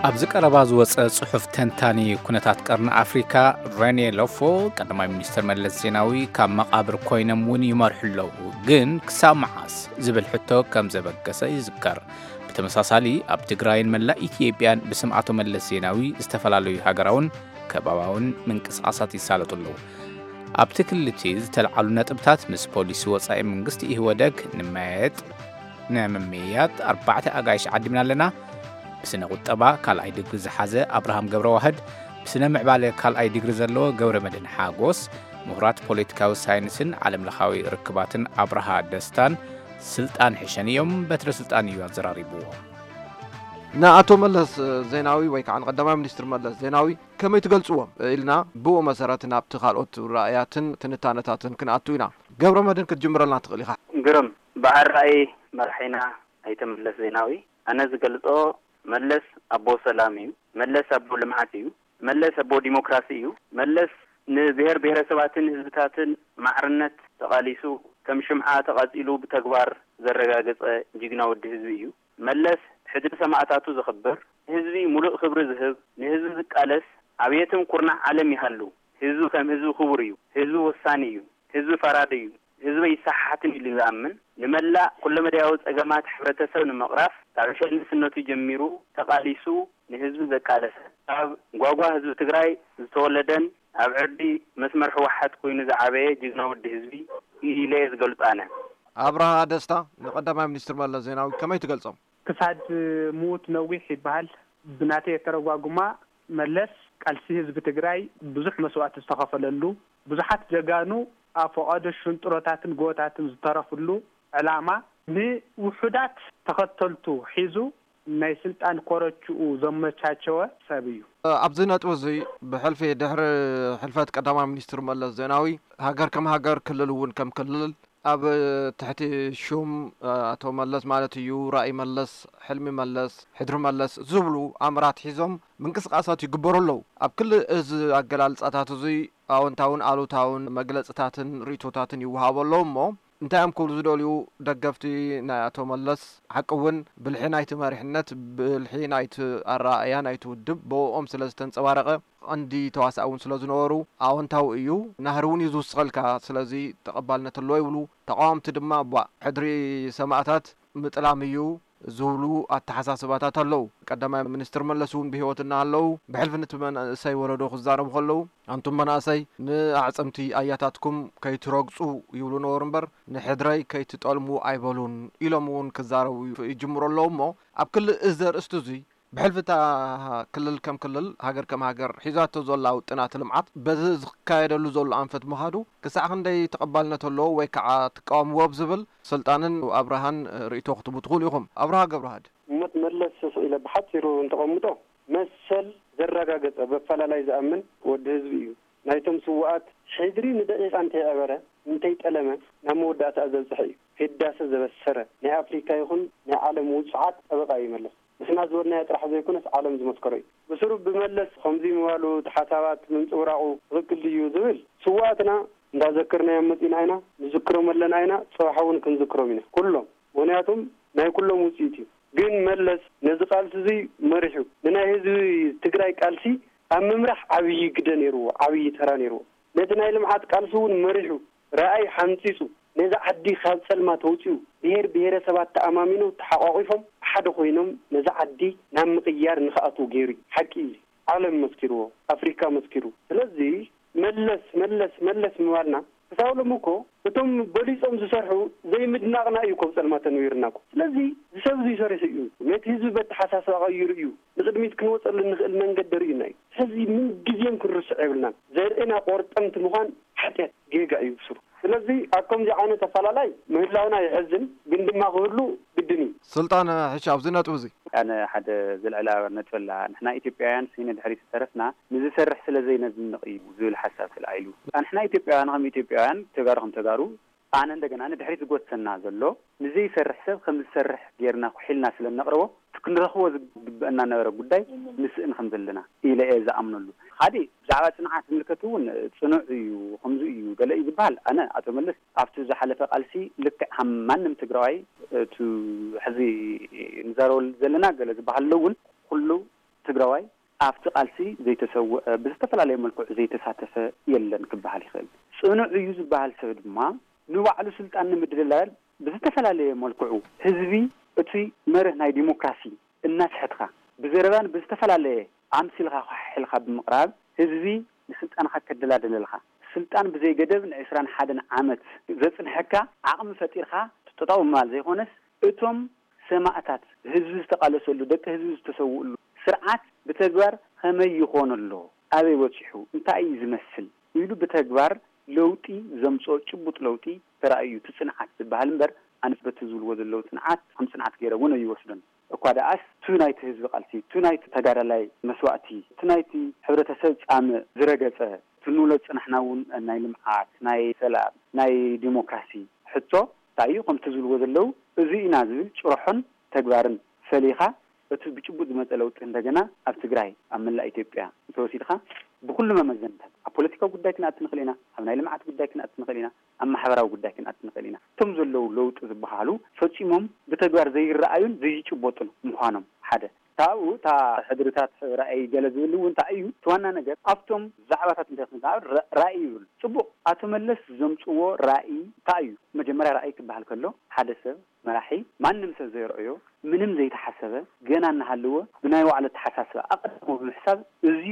ኣብዚ ቀረባ ዝወጸ ጽሑፍ ተንታኒ ኩነታት ቀርኒ ኣፍሪካ ሬኔ ሎፎ፣ ቀዳማይ ሚኒስትር መለስ ዜናዊ ካብ መቓብር ኮይኖም እውን ይመርሑ ኣለዉ፣ ግን ክሳብ መዓስ ዝብል ሕቶ ከም ዘበገሰ ይዝከር። ብተመሳሳሊ ኣብ ትግራይን መላእ ኢትዮጵያን ብስም ኣቶ መለስ ዜናዊ ዝተፈላለዩ ሃገራውን ከባባውን ምንቅስቓሳት ይሳለጡ ኣለዉ። ኣብቲ ክልል እቲ ዝተልዓሉ ነጥብታት ምስ ፖሊሲ ወጻኢ መንግስቲ ኢህወደግ ንመየጥ ንምምይያጥ ኣርባዕተ ኣጋይሽ ዓዲምና ኣለና። ብስነ ቁጠባ ካልኣይ ዲግሪ ዝሓዘ ኣብርሃም ገብረዋህድ፣ ብስነ ምዕባለ ካልኣይ ዲግሪ ዘለዎ ገብረመድህን ሓጎስ፣ ምሁራት ፖለቲካዊ ሳይንስን ዓለምለኻዊ ርክባትን ኣብርሃ ደስታን ስልጣን ሕሸን እዮም። በትረ ስልጣን እዩ ኣዘራሪብዎ። ንኣቶ መለስ ዜናዊ ወይ ከዓ ንቀዳማይ ሚኒስትር መለስ ዜናዊ ከመይ ትገልጽዎም ኢልና ብኡ መሰረት ናብቲ ካልኦት ራእያትን ትንታነታትን ክንኣቱ ኢና። ገብረመድህን ክትጅምረልና ትኽእል ኢኻ። ግርም፣ ብኣራእይ መራሒና ኣይተ መለስ ዜናዊ፣ ኣነ ዝገልጾ መለስ ኣቦ ሰላም እዩ። መለስ ኣቦ ልምዓት እዩ። መለስ ኣቦ ዲሞክራሲ እዩ። መለስ ንብሔር ብሔረሰባትን ህዝብታትን ማዕርነት ተቓሊሱ፣ ከም ሽምዓ ተቓጺሉ ብተግባር ዘረጋገጸ ጅግና ወዲ ህዝቢ እዩ። መለስ ሕድሪ ሰማእታቱ ዘኽብር፣ ንህዝቢ ሙሉእ ክብሪ ዝህብ፣ ንህዝቢ ዝቃለስ፣ ኣብ የትም ኩርናዕ ዓለም ይሃሉ፣ ህዝቢ ከም ህዝቢ ክቡር እዩ። ህዝቢ ወሳኒ እዩ። ህዝቢ ፈራዲ እዩ። ህዝቢ ኣይሰሓሓትን ኢሉ ዝኣምን፣ ንመላእ ኩለመዳያዊ ጸገማት ሕብረተሰብ ንምቕራፍ ካብ ዕሸል ንእስነቱ ጀሚሩ ተቓሊሱ ንህዝቢ ዘቃለሰ፣ ካብ ጓጓ ህዝቢ ትግራይ ዝተወለደን ኣብ ዕርዲ መስመር ህወሓት ኮይኑ ዝዓበየ ጅግና ወዲ ህዝቢ እዩ ኢለ እየ ዝገልጾ ኣነ። ኣብርሃ ደስታ፣ ንቀዳማይ ሚኒስትር መለስ ዜናዊ ከመይ ትገልጾም? ክሳድ ምዉት ነዊሕ ይበሃል። ብናተይ የተረጓጉማ፣ መለስ ቃልሲ ህዝቢ ትግራይ ብዙሕ መስዋእቲ ዝተኸፈለሉ፣ ብዙሓት ጀጋኑ ኣብ ፈቓዶ ሽንጥሮታትን ጎቦታትን ዝተረፍሉ ዕላማ፣ ንውሑዳት ተኸተልቱ ሒዙ ናይ ስልጣን ኮረችኡ ዘመቻቸወ ሰብ እዩ። ኣብዚ ነጥቢ እዚ፣ ብሕልፊ ድሕሪ ሕልፈት ቀዳማይ ሚኒስትር መለስ ዜናዊ፣ ሃገር ከም ሃገር፣ ክልል እውን ከም ክልል፣ ኣብ ትሕቲ ሹም ኣቶ መለስ ማለት እዩ፣ ራእይ መለስ፣ ሕልሚ መለስ፣ ሕድሪ መለስ ዝብሉ ኣምራት ሒዞም ምንቅስቃሳት ይግበሩ ኣለዉ። ኣብ ክሊ እዚ ኣገላልጻታት እዚ ኣወንታውን ኣሉታውን መግለጽታትን ርእይቶታትን ይወሃቡ ኣለዉ እሞ፣ እንታይ እዮም ክብሉ ዝደልዩ ደገፍቲ ናይ ኣቶ መለስ? ሓቂ እውን ብልሒ ናይቲ መሪሕነት፣ ብልሒ ናይቲ ኣረኣእያ ናይቲ ውድብ ብእኦም ስለ ዝተንጸባረቐ፣ ቀንዲ ተዋሳኢ እውን ስለ ዝነበሩ ኣወንታዊ እዩ። ናህሪ እውን እዩ ዝውስኸልካ፣ ስለዚ ተቐባልነት ኣለዎ ይብሉ። ተቓወምቲ ድማ፣ ቧእ፣ ሕድሪ ሰማእታት ምጥላም እዩ ዝብሉ ኣተሓሳስባታት ኣለዉ። ቀዳማይ ሚኒስትር መለስ እውን ብህይወት እናሃለዉ ብሕልፊ ነቲ መንእሰይ ወለዶ ክዛረቡ ከለዉ፣ ኣንቱም መናእሰይ፣ ንኣዕጽምቲ ኣያታትኩም ከይትረግጹ ይብሉ ነበሩ እምበር፣ ንሕድረይ ከይትጠልሙ ኣይበሉን ኢሎም እውን ክዛረቡ ይጅምሩ ኣለዉ። እሞ ኣብ ክሊ እዚ ኣርእስቲ እዙይ፣ ብሕልፊ እታ ክልል ከም ክልል፣ ሃገር ከም ሃገር ሒዛቶ ዘላ ውጥናት ልምዓት በዚ ዝካየደሉ ዘሎ ኣንፈት ምኻዱ ክሳዕ ክንደይ ተቐባልነት ኣለዎ ወይ ከዓ ትቃወምዎ ኣብ ዝብል ስልጣንን ኣብርሃን ርእይቶ ክትህቡ ትኽእሉ ኢኹም። ኣብርሃ ገብረዋህድ። ሞት መለስ ስቕ ኢለ ብሓፂሩ እንተቐምጦ፣ መሰል ዘረጋገፀ፣ በፈላላይ ዝኣምን ወዲ ህዝቢ እዩ። ናይቶም ስውኣት ሕድሪ ንደቂቓ እንተይዐበረ፣ እንተይጠለመ፣ ናብ መወዳእታ ዘብፅሐ እዩ። ህዳሰ ዘበሰረ፣ ናይ ኣፍሪካ ይኹን ናይ ዓለም ውፁዓት ጠበቃ እዩ መለስ። ንሕና ዝበልናዮ ጥራሕ ዘይኮነስ ዓለም ዝመስከሮ እዩ። ብስሩ ብመለስ ከምዚ ምባሉ፣ እቲ ሓሳባት ምንፅብራቑ ትኽክል ድዩ ዝብል፣ ስውኣትና እንዳዘከርናዮም መፂና ኢና፣ ንዝክሮም ኣለና ኢና፣ ፅባሕ እውን ክንዝክሮም ኢና። ኩሎም፣ ምኽንያቱም ናይ ኩሎም ውፅኢት እዩ። ግን መለስ ነዚ ቃልሲ እዚ መሪሑ፣ ንናይ ህዝቢ ትግራይ ቃልሲ ኣብ ምምራሕ ዓብዪ ግደ ነይርዎ፣ ዓብዪ ተራ ነይርዎ። ነቲ ናይ ልምዓት ቃልሲ እውን መሪሑ፣ ራእይ ሓንፂፁ፣ ነዛ ዓዲ ካብ ፀልማት ኣውፂኡ፣ ብሄር ብሄረሰባት ተኣማሚኖም ተሓቋቒፎም ሓደ ኮይኖም ነዛ ዓዲ ናብ ምቕያር ንኽኣትዉ ገይሩ እዩ። ሓቂ እዩ። ዓለም መስኪርዎ፣ ኣፍሪካ መስኪሩ። ስለዚ መለስ፣ መለስ፣ መለስ ምባልና ክሳብ ሎሚ እኮ እቶም በሊጾም ዝሰርሑ ዘይምድናቕና እዩ እኮ ኣብ ጸልማት ኣንቢሩና እኮ። ስለዚ እዚ ሰብ እዚ ሰሪሑ እዩ። ነቲ ህዝቢ በተሓሳስባ ቀይሩ እዩ። ንቕድሚት ክንወጸሉ እንኽእል መንገዲ ርእዩና እዩ። ሕዚ ምንግዜን ክንርስዖ የብልናን። ዘርእና ቆርጠምቲ ምዃን ሓጢኣት ጌጋ እዩ ብስሩ። ስለዚ ኣብ ከምዚ ዓይነት ኣፈላላይ ምህላውና የሕዝን፣ ግን ድማ ክህሉ ግድን እዩ። ስልጣን ሕሻ ኣብዚ ነጥቢ እዚ። ኣነ ሓደ ዘልዕላ ነጥቢ ኣላ። ንሕና ኢትዮጵያውያን ስኢነ ድሕሪት ዝተረፍና ንዝሰርሕ ስለ ዘይነድንቕ እዩ ዝብል ሓሳብ ተላዒሉ። ንሕና ኢትዮጵያውያን ከም ኢትዮጵያውያን፣ ተጋሩ ከም ተጋሩ፣ ኣነ እንደገና ንድሕሪት ዝጎትተና ዘሎ ንዘይሰርሕ ሰብ ከም ዝሰርሕ ጌርና ኩሒልና ስለ እነቕርቦ፣ እቲ ክንረኽቦ ዝግበአና ነበረ ጉዳይ ንስእን ከም ዘለና ኢለ እየ ዝኣምነሉ። ሓደ ብዛዕባ ጽንዓት ዝምልከት እውን ጽኑዕ እዩ፣ ከምዚ እዩ፣ ገለ እዩ ዝበሃል። ኣነ ኣቶ መለስ ኣብቲ ዝሓለፈ ቃልሲ ልክዕ ከም ማንም ትግራዋይ፣ እቲ ሕዚ ንዛረበሉ ዘለና ገለ ዝበሃል ኣሎ እውን ኩሉ ትግራዋይ ኣብቲ ቃልሲ ዘይተሰወአ፣ ብዝተፈላለየ መልክዑ ዘይተሳተፈ የለን ክበሃል ይኽእል። ጽኑዕ እዩ ዝበሃል ሰብ ድማ ንባዕሉ ስልጣን ንምድልላል ብዝተፈላለየ መልክዑ ህዝቢ እቲ መርህ ናይ ዲሞክራሲ እናስሕትካ ብዘረባን ብዝተፈላለየ ኣምሲልካ ኳሕሒልካ ብምቕራብ ህዝቢ ንስልጣንካ ከደላድለልካ፣ ስልጣን ብዘይ ገደብ ንዕስራን ሓደን ዓመት ዘጽንሐካ ዓቕሚ ፈጢርካ ትጠጠው ምባል ዘይኮነስ፣ እቶም ሰማእታት ህዝቢ ዝተቓለሰሉ፣ ደቂ ህዝቢ ዝተሰውእሉ ስርዓት ብተግባር ከመይ ይኾን ኣሎ፣ ኣበይ በጺሑ፣ እንታይ እዩ ዝመስል ኢሉ ብተግባር ለውጢ ዘምጽኦ ጭቡጥ ለውጢ ተራእዩ እቲ ጽንዓት ዝበሃል እምበር፣ ኣነስ በቲ ዝብልዎ ዘለዉ ጽንዓት ከም ጽንዓት ገይረ እውን ኣይወስዶን። እኳ ደኣስ፣ እቲ ናይቲ ህዝቢ ቃልሲ፣ እቲ ናይቲ ተጋዳላይ መስዋእቲ፣ እቲ ናይቲ ሕብረተሰብ ጻምእ ዝረገጸ፣ እቲ ንብሎ ዝጸናሕና እውን ናይ ልምዓት፣ ናይ ሰላም፣ ናይ ዲሞክራሲ ሕቶ እንታይ እዩ? ከምቲ ዝብልዎ ዘለዉ፣ እዚ ኢና ዝብል ጭርሖን ተግባርን ፈሊኻ፣ እቲ ብጭቡጥ ዝመጸ ለውጢ እንደገና ኣብ ትግራይ፣ ኣብ መላእ ኢትዮጵያ እንተወሲድካ፣ ብኩሉ መመዘንታት፣ ኣብ ፖለቲካዊ ጉዳይ ክንኣቲ ንኽእል ኢና፣ ኣብ ናይ ልምዓት ጉዳይ ክንኣቲ ንኽእል ኢና፣ ኣብ ማሕበራዊ ጉዳይ ክንኣቲ ንኽእል ኢና። እቶም ዘለዉ ለውጢ ዝበሃሉ ፈጺሞም ብተግባር ዘይረኣዩን ዘይጭበጡን ምዃኖም ሓደ። ካብኡ እታ ሕድርታት ራእይ ገለ ዝብል እውን እንታይ እዩ? እቲ ዋና ነገር ኣብቶም ዛዕባታት እንታይ ክንከዓ ራ-፣ ራእይ ይብሉ። ጽቡቕ፣ ኣቶ መለስ ዘምጽዎ ራእይ እንታይ እዩ? መጀመርያ ራእይ ክበሃል ከሎ ሓደ ሰብ መራሒ ማንም ሰብ ዘይረኣዮ ምንም ዘይተሓሰበ ገና እናሃለወ ብናይ ባዕሉ ኣተሓሳስባ ኣቐድሞ ብምሕሳብ እዚ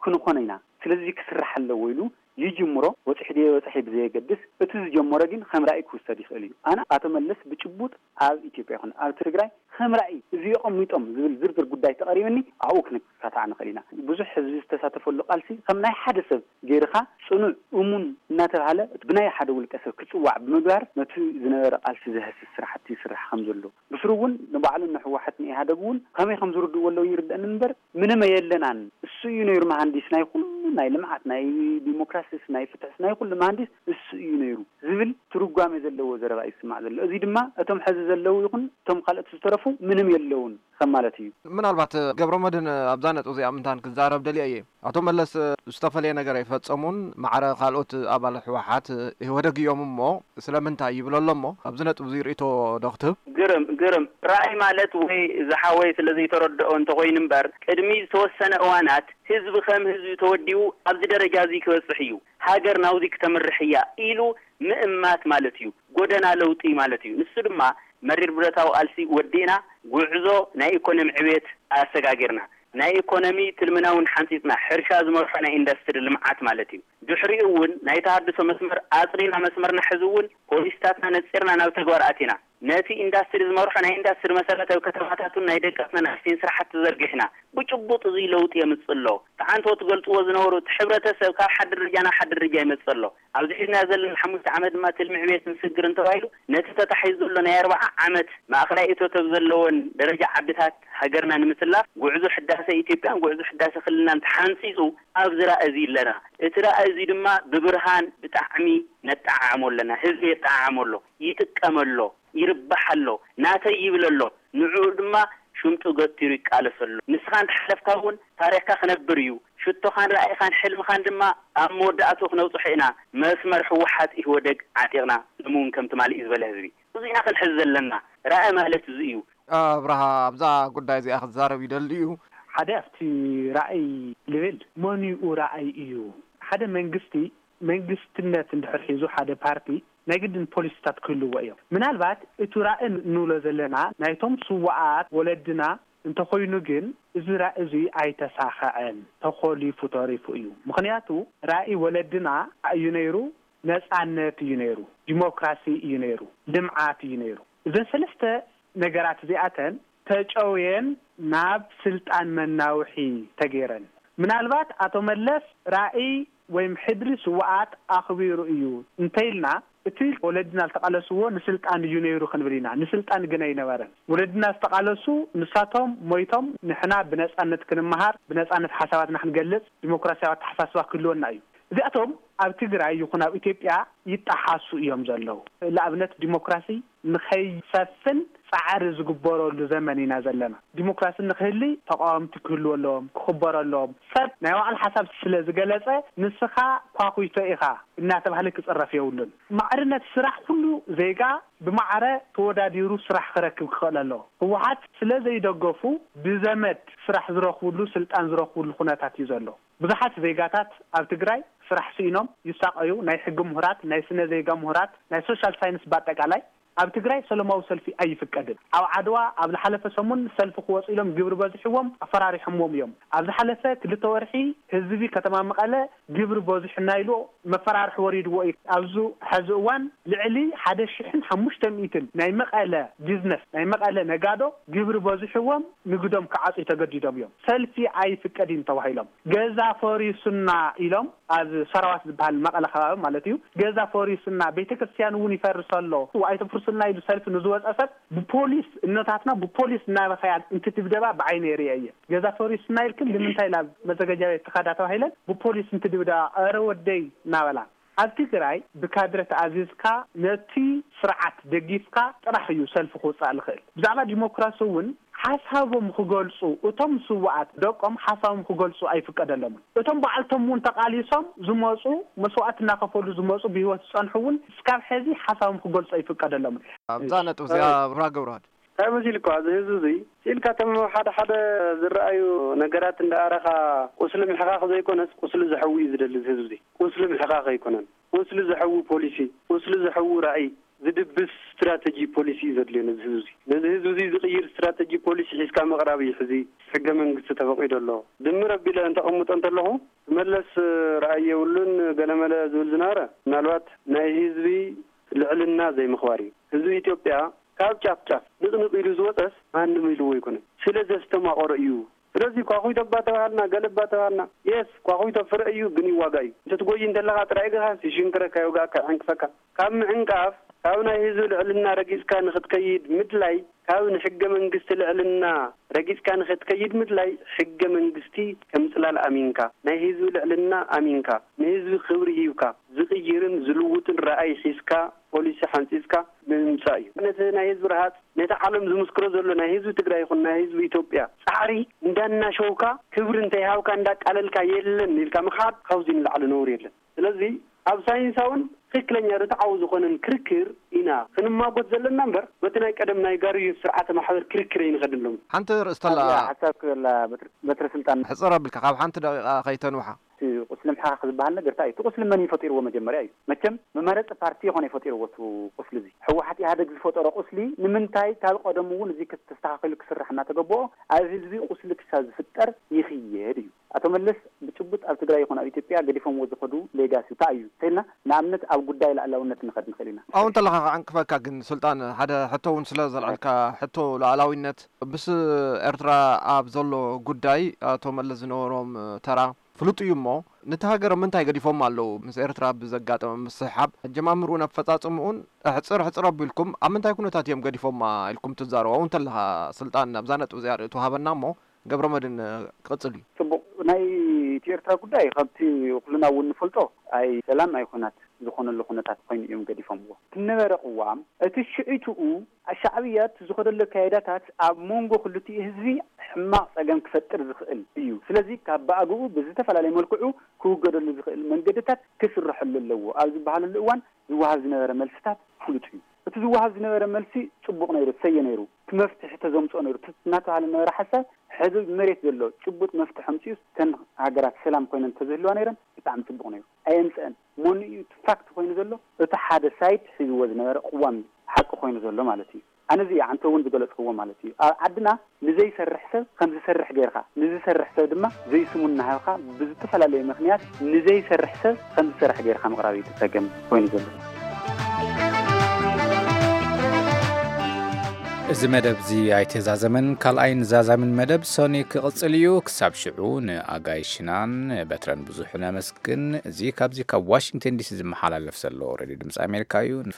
ክንኾኖ ኢና፣ ስለዚ ክስራሕ ኣለዎ ኢሉ ይጅምሮ፣ በጺሑ ድየ ኣይበጽሐ ብዘየገድስ፣ እቲ ዝጀመሮ ግን ከም ራእይ ክውሰድ ይኽእል እዩ። ኣነ ኣቶ መለስ ብጭቡጥ ኣብ ኢትዮጵያ ይኹን ኣብ ትግራይ ከም ራእይ እዚ የቐሚጦም ዝብል ዝርዝር ጉዳይ ተቐሪብኒ ኣብኡ ክንካታዕ ንኽእል ኢና። ብዙሕ ህዝቢ ዝተሳተፈሉ ቃልሲ ከም ናይ ሓደ ሰብ ገይርኻ ጽኑዕ እሙን እናተባህለ ብናይ ሓደ ውልቀ ሰብ ክጽዋዕ ብምግባር ነቲ ዝነበረ ቃልሲ ዘህስስ ስራሕቲ ይስራሕ ከም ዘሎ ብስሩ እውን ንባዕሉን ንህወሓት ንኢህኣደግ እውን ከመይ ከም ዝርድእዎ ኣለዉ ይርደእኒ እምበር ምንም ኣየለናን። እሱ እዩ ነይሩ መሃንዲስ ናይ ኩሉ ናይ ልምዓት ናይ ዲሞክራሲስ ናይ ፍትሕስ ናይ ኩሉ መሃንዲስ እሱ እዩ ነይሩ ዝብል ትርጓሜ ዘለዎ ዘረባ እዩ ዝስማዕ ዘሎ። እዚ ድማ እቶም ሕዚ ዘለዉ ይኹን እቶም ካልኦት ዝተረፉ ምንም የለውን ከም ማለት እዩ። ምናልባት ገብረመድህን ኣብዛ ነጥብ እዚኣ ምንታን ክዛረብ ደልየ እየ። ኣቶ መለስ ዝተፈለየ ነገር ኣይፈጸሙን፣ ማዕረ ካልኦት ኣባል ህወሓት ኢህወደግ እዮም እሞ ስለምንታይ ይብል ኣሎ እሞ ኣብዚ ነጥብ እዚ ርእቶ ዶ ክትህብ? ግርም ግርም ራእይ ማለት ወይ ዝሓወይ ስለ ዘይተረድኦ እንተኮይኑ እምበር ቅድሚ ዝተወሰነ እዋናት ህዝቢ ከም ህዝቢ ተወዲቡ ኣብዚ ደረጃ እዚ ክበፅሕ እዩ፣ ሃገር ናብዚ ክተምርሕ እያ ኢሉ ምእማት ማለት እዩ። ጎደና ለውጢ ማለት እዩ። ንሱ ድማ መሪር ብረታዊ ቃልሲ ወዲእና ጉዕዞ ናይ ኢኮኖሚ ዕቤት ኣሰጋጊርና ናይ ኢኮኖሚ ትልምና እውን ሓንፂፅና ሕርሻ ዝመርሖ ናይ ኢንዳስትሪ ልምዓት ማለት እዩ። ድሕሪኡ እውን ናይ ተሃድሶ መስመር ኣፅሪና መስመርና ሕዚ እውን ፖሊሲታትና ነፂርና ናብ ተግባር ኣቲና ነቲ ኢንዳስትሪ ዝመርሖ ናይ ኢንዳስትሪ መሰረታዊ ከተማታት እውን ናይ ደቀስና ንኣሽተይን ስራሕቲ ዘርጊሕና ብጭቡጥ እዙይ ለውጢ የምፅእ ኣሎ። ተዓንተዎ ትገልፅዎ ዝነበሩ እቲ ሕብረተሰብ ካብ ሓደ ደረጃ ናብ ሓደ ደረጃ ይመፅእ ኣሎ። ኣብዚ ሒዝናዮ ዘለና ሓሙሽተ ዓመት ድማ ትልሚ ዕብየት ንስግር እንተባሂሉ ነቲ ተታሒዙ ዘሎ ናይ ኣርብዓ ዓመት ማእኸላይ እቶት ኣብ ዘለወን ደረጃ ዓድታት ሃገርና ንምትላፍ ጉዕዞ ሕዳሰ ኢትዮጵያን ጉዕዞ ሕዳሰ ክልልናን ተሓንፂፁ ኣብዚ ራእይ እዚ ኣለና። እቲ ራእይ እዚ ድማ ብብርሃን ብጣዕሚ ነጠዓዕሞ ኣለና። ህዝቢ የጠዓዕሞ ኣሎ፣ ይጥቀም ኣሎ፣ ይርባሕ ኣሎ፣ ናተይ ይብል ኣሎ። ንዕኡ ድማ ሽምጡ ገቲሩ ይቃለስ ኣሎ። ንስኻ እንተሓለፍካ እውን ታሪኽካ ክነብር እዩ። ሽቶኻን ራእይኻን ሕልምኻን ድማ ኣብ መወዳእትኡ ክነብፅሖ ኢና። መስመር ህወሓት ኢህወደግ ዓጢቕና ሎሚ እውን ከም ትማሊ እዩ ዝበለ ህዝቢ። እዚ ኢና ክንሕዝ ዘለና። ራእይ ማለት እዚ እዩ። ኣብርሃ ኣብዛ ጉዳይ እዚኣ ክዛረብ ይደሊ እዩ። ሓደ ኣብቲ ራእይ ልብል መኒኡ ራእይ እዩ። ሓደ መንግስቲ መንግስትነት እንድሕር ሒዙ ሓደ ፓርቲ ናይ ግድን ፖሊሲታት ክህልዎ እዮም። ምናልባት እቲ ራእይ ንብሎ ዘለና ናይቶም ስዋኣት ወለድና እንተኾይኑ ግን እዚ ራእይ እዚ ኣይተሳኸዐን፣ ተኾሊፉ ተሪፉ እዩ። ምኽንያቱ ራእይ ወለድና እዩ ነይሩ፣ ነፃነት እዩ ነይሩ፣ ዲሞክራሲ እዩ ነይሩ፣ ልምዓት እዩ ነይሩ። እዘን ሰለስተ ነገራት እዚኣተን ተጨውየን ናብ ስልጣን መናውሒ ተገይረን። ምናልባት ኣቶ መለስ ራእይ ወይም ሕድሪ ስውኣት ኣኽቢሩ እዩ እንተኢልና እቲ ወለድና ዝተቓለስዎ ንስልጣን እዩ ነይሩ ክንብል ኢና። ንስልጣን ግን ኣይነበረን። ወለድና ዝተቓለሱ ንሳቶም ሞይቶም ንሕና ብነፃነት ክንመሃር፣ ብነፃነት ሓሳባትና ክንገልፅ፣ ዲሞክራሲያዊ ኣተሓሳስባ ክህልወና እዩ። እዚኣቶም ኣብ ትግራይ ይኹን ኣብ ኢትዮጵያ ይጠሓሱ እዮም ዘለዉ። ንኣብነት ዲሞክራሲ ንኸይሰፍን ጻዕሪ ዝግበረሉ ዘመን ኢና ዘለና። ዲሞክራሲ ንክህሊ ተቃወምቲ ክህልዎ ኣለዎም፣ ክኽበሩ ኣለዎም። ሰብ ናይ ባዕሉ ሓሳብ ስለ ዝገለጸ ንስኻ ኳኹይቶ ኢኻ እናተባህለ ክጽረፍ የብሉን። ማዕርነት ስራሕ ኩሉ ዜጋ ብማዕረ ተወዳዲሩ ስራሕ ክረክብ ክኽእል ኣለዎ። ህወሓት ስለ ዘይደገፉ ብዘመድ ስራሕ ዝረኽብሉ ስልጣን ዝረኽብሉ ኩነታት እዩ ዘሎ። ብዙሓት ዜጋታት ኣብ ትግራይ ስራሕ ስኢኖም ይሳቐዩ። ናይ ሕጊ ምሁራት፣ ናይ ስነ ዜጋ ምሁራት፣ ናይ ሶሻል ሳይንስ በኣጠቃላይ ኣብ ትግራይ ሰለማዊ ሰልፊ ኣይፍቀድን። ኣብ ዓድዋ ኣብ ዝሓለፈ ሰሙን ሰልፊ ክወፁ ኢሎም ግብሪ በዚሕዎም ኣፈራሪሖምዎም እዮም። ኣብ ዝሓለፈ ክልተ ወርሒ ህዝቢ ከተማ መቐለ ግብሪ በዚሑና ኢሉ መፈራርሒ ወሪድዎ እዩ። ኣብዚ ሕዚ እዋን ልዕሊ ሓደ ሽሕን ሓሙሽተ ሚእትን ናይ መቐለ ቢዝነስ፣ ናይ መቐለ ነጋዶ ግብሪ በዚሕዎም ንግዶም ክዓፅዩ ተገዲዶም እዮም። ሰልፊ ኣይፍቀድን ተባሂሎም ገዛ ፈሪሱና ኢሎም ኣብ ሰራዋት ዝበሃል መቐለ ከባቢ ማለት እዩ። ገዛ ፈሪሱና፣ ቤተክርስትያን እውን ይፈርስ ኣሎ፣ ኣይተፍርሱልና ኢሉ ሰልፊ ንዝወፀ ሰብ ብፖሊስ፣ እኖታትና ብፖሊስ እናበኸያ እንትድብደባ ብዓይነ የርእየ እየ። ገዛ ፈሪሱና ኢልክን ንምንታይ ናብ መዘጋጃ ቤት ትኸዳ ተባሂለን ብፖሊስ እንትድብደባ፣ ኧረ ወደይ እናበላ። ኣብ ትግራይ ብካድረ ተኣዚዝካ ነቲ ስርዓት ደጊፍካ ጥራሕ እዩ ሰልፊ ክውፃእ ዝኽእል። ብዛዕባ ዲሞክራሲ እውን ሓሳቦም ክገልፁ፣ እቶም ስውኣት ደቆም ሓሳቦም ክገልፁ ኣይፍቀደሎምን። እቶም በዓልቶም እውን ተቓሊሶም ዝመፁ፣ መስዋእቲ እናኸፈሉ ዝመፁ፣ ብህይወት ዝፀንሑ እውን እስካብ ሕዚ ሓሳቦም ክገልፁ ኣይፍቀደሎምን። ኣብዛ ነጥብ እዚኣ፣ ብራ ገብረዋህድ። እንታይ መሲልካ፣ እዚ ህዝቢ እዚ ስኢልካ፣ እቶም ሓደ ሓደ ዝረኣዩ ነገራት እንዳኣረኻ ቁስሊ ምሕኻኽ ዘይኮነስ፣ ቁስሊ ዘሕዊ እዩ ዝደሊ እዚ ህዝቢ እዚ። ቁስሊ ምሕኻኽ ኣይኮነን። ቁስሊ ዘሕዊ ፖሊሲ፣ ቁስሊ ዘሕዊ ራእይ፣ ዝድብስ ስትራተጂ ፖሊሲ እዩ ዘድልዮ ነዚ ህዝቢ እዚ። ነዚ ህዝቢ እዚ ዝቕይር ስትራተጂ ፖሊሲ ሒዝካ ምቕራብ እዩ። ሕዚ ሕገ መንግስቲ ተፈቒዱ ኣሎ። ድምር ኣቢለ እንተቐምጦ እንተለኹ፣ መለስ ራእይ የብሉን፣ ገለመለ ዝብል ዝነበረ፣ ምናልባት ናይ ህዝቢ ልዕልና ዘይምኽባር እዩ። ህዝቢ ኢትዮጵያ ካብ ጫፍ ጫፍ ንቕንቕ ኢሉ ዝወፀስ ማንም ኢልዎ ኣይኮነን። ስለ ዘስተማቐሮ እዩ። ስለዚ ኳኹይቶ እባ ተባሃልና፣ ገለ እባ ተባሃልና፣ የስ፣ ኳኹይቶ ፍረ እዩ፣ ግን ይዋጋ እዩ። እንተትጎይ እንተለኻ ጥራይ እግርኻስ ይሽንክረካ፣ ይወግኣካ፣ ይዕንቅፈካ። ካብ ምዕንቃፍ፣ ካብ ናይ ህዝቢ ልዕልና ረጊጽካ ንኽትከይድ ምድላይ፣ ካብ ንሕገ መንግስቲ ልዕልና ረጊጽካ ንኽትከይድ ምድላይ፣ ሕገ መንግስቲ ከም ጽላል ኣሚንካ፣ ናይ ህዝቢ ልዕልና ኣሚንካ፣ ንህዝቢ ክብሪ ሂብካ፣ ዝቕይርን ዝልውጥን ረኣይ ሒዝካ፣ ፖሊሲ ሓንጺጽካ ምምጻእ እዩ። ነቲ ናይ ህዝቢ ረሃጽ፣ ነቲ ዓለም ዝምስክሮ ዘሎ ናይ ህዝቢ ትግራይ ይኹን ናይ ህዝቢ ኢትዮጵያ ጻዕሪ እንዳናሸውካ፣ ክብሪ እንተይሃብካ እንዳቃለልካ የለን ኢልካ ምኻድ ካብዚ ንላዕሊ ነውሪ የለን። ስለዚ ኣብ ሳይንሳውን ትኽክለኛ ርትዓዊ ዝኾነን ክርክር ኢና ክንማጎት ዘለና እምበር፣ በቲ ናይ ቀደም ናይ ጋርዮስ ስርዓተ ማሕበር ክርክር ኣይንኸድሎም። ሓንቲ ርእስተላ ኣብዚኣ ሓሳብ ክበላ በትሪ፣ በትሪ ስልጣን። ሕጽር ኣቢልካ ካብ ሓንቲ ደቂቓ ከይተንውሓ። እቲ ቁስሊ ምሕኻኽ ዝበሃል ነገር እንታይ እዩ? እቲ ቁስሊ መን እዩ ፈጢርዎ? መጀመርያ እዩ። መቸም መመረፂ ፓርቲ ይኾነ ፈጢርዎ እቲ ቁስሊ እዚ። ህወሓት ኢህኣደግ ዝፈጠሮ ቁስሊ ንምንታይ ካብ ቀደሙ እውን እዚ ክስተኻኸሉ ክስራሕ እናተገበኦ ኣብ ህዝቢ ቁስሊ ክሳብ ዝፍጠር ይኽየድ እዩ። ኣቶ መለስ ብጭቡጥ ኣብ ትግራይ ይኹን ኣብ ኢትዮጵያ ገዲፎምዎ ዝኸዱ ሌጋሲ እንታይ እዩ እንተኢልና፣ ንኣብነት ኣብ ጉዳይ ላዕላውነት ንኸድ ንኽእል ኢና። ኣብኡ እንተለኻ ክዕንቅፈካ ግን፣ ሱልጣን፣ ሓደ ሕቶ እውን ስለ ዘልዐልካ፣ ሕቶ ሉዓላዊነት፣ ምስ ኤርትራ ኣብ ዘሎ ጉዳይ ኣቶ መለስ ዝነበሮም ተራ ፍሉጥ እዩ እሞ፣ ነቲ ሃገር ምንታይ ገዲፎማ ኣለዉ? ምስ ኤርትራ ብዘጋጠመ ምስሕሓብ፣ ኣጀማምርኡን ኣፈጻጽምኡን ሕጽር ሕጽር ኣቢልኩም ኣብ ምንታይ ኩነታት እዮም ገዲፎማ ኢልኩም ትዛረቡ? ኣብኡ እንተለኻ፣ ስልጣን፣ ኣብዛ ነጥቢ እዚኣ ርእይቶ ሃበና እሞ፣ ገብረመድህን ክቕጽል እዩ። ጽቡቕ። ናይ እቲ ኤርትራ ጉዳይ ከምቲ ኩልና እውን ንፈልጦ ኣይ ሰላም ኣይ ኩናት ዝኾነሉ ኩነታት ኮይኑ እዮም ገዲፎምዎ። እቲ ነበረ ቅዋም እቲ ሽዒትኡ ሻዕብያ እቲ ዝኸደሉ ኣካይዳታት ኣብ መንጎ ክልቲኡ ህዝቢ ሕማቕ ጸገም ክፈጥር ዝኽእል እዩ። ስለዚ ካብ ብኣግኡ ብዝተፈላለየ መልክዑ ክውገደሉ ዝኽእል መንገድታት ክስረሐሉ ኣለዎ ኣብ ዝበሃለሉ እዋን ዝወሃብ ዝነበረ መልስታት ፍሉጥ እዩ። እቲ ዝወሃብ ዝነበረ መልሲ ጽቡቕ ነይሩ፣ ሰየ ነይሩ፣ እቲ መፍትሒ ተዘምጽኦ ነይሩ፣ እቲ እናተባህለ ዝነበረ ሓሳብ ሕዚ መሬት ዘሎ ጭቡጥ መፍትሒ ኣምጺኡስ እተን ሃገራት ሰላም ኮይነን እንተዝህልዋ ነይረን ብጣዕሚ ጽቡቕ ነይሩ። ኣየምጽአን። መኑ እዩ እቲ ፋክት ኮይኑ ዘሎ? እቲ ሓደ ሳይድ ሒዝዎ ዝነበረ ቅዋም እዩ፣ ሓቂ ኮይኑ ዘሎ ማለት እዩ። ኣነ እዚ ኣንተ እውን ዝገለጽክዎ ማለት እዩ። ኣብ ዓድና ንዘይሰርሕ ሰብ ከም ዝሰርሕ ጌርካ፣ ንዝሰርሕ ሰብ ድማ ዘይስሙ እናሃብካ ብዝተፈላለየ ምኽንያት ንዘይሰርሕ ሰብ ከም ዝሰርሕ ጌርካ ምቕራብ እዩ እቲ ጸገም ኮይኑ ዘሎ። እዚ መደብ እዚ ኣይተዛዘመን፣ ካልኣይን ዛዛምን መደብ ሰኒ ክቕጽል እዩ። ክሳብ ሽዑ ንኣጋይሽናን በትረን ብዙሕ ነመስግን። እዚ ካብዚ ካብ ዋሽንግተን ዲሲ ዝመሓላለፍ ዘሎ ሬድዮ ድምፂ ኣሜሪካ እዩ።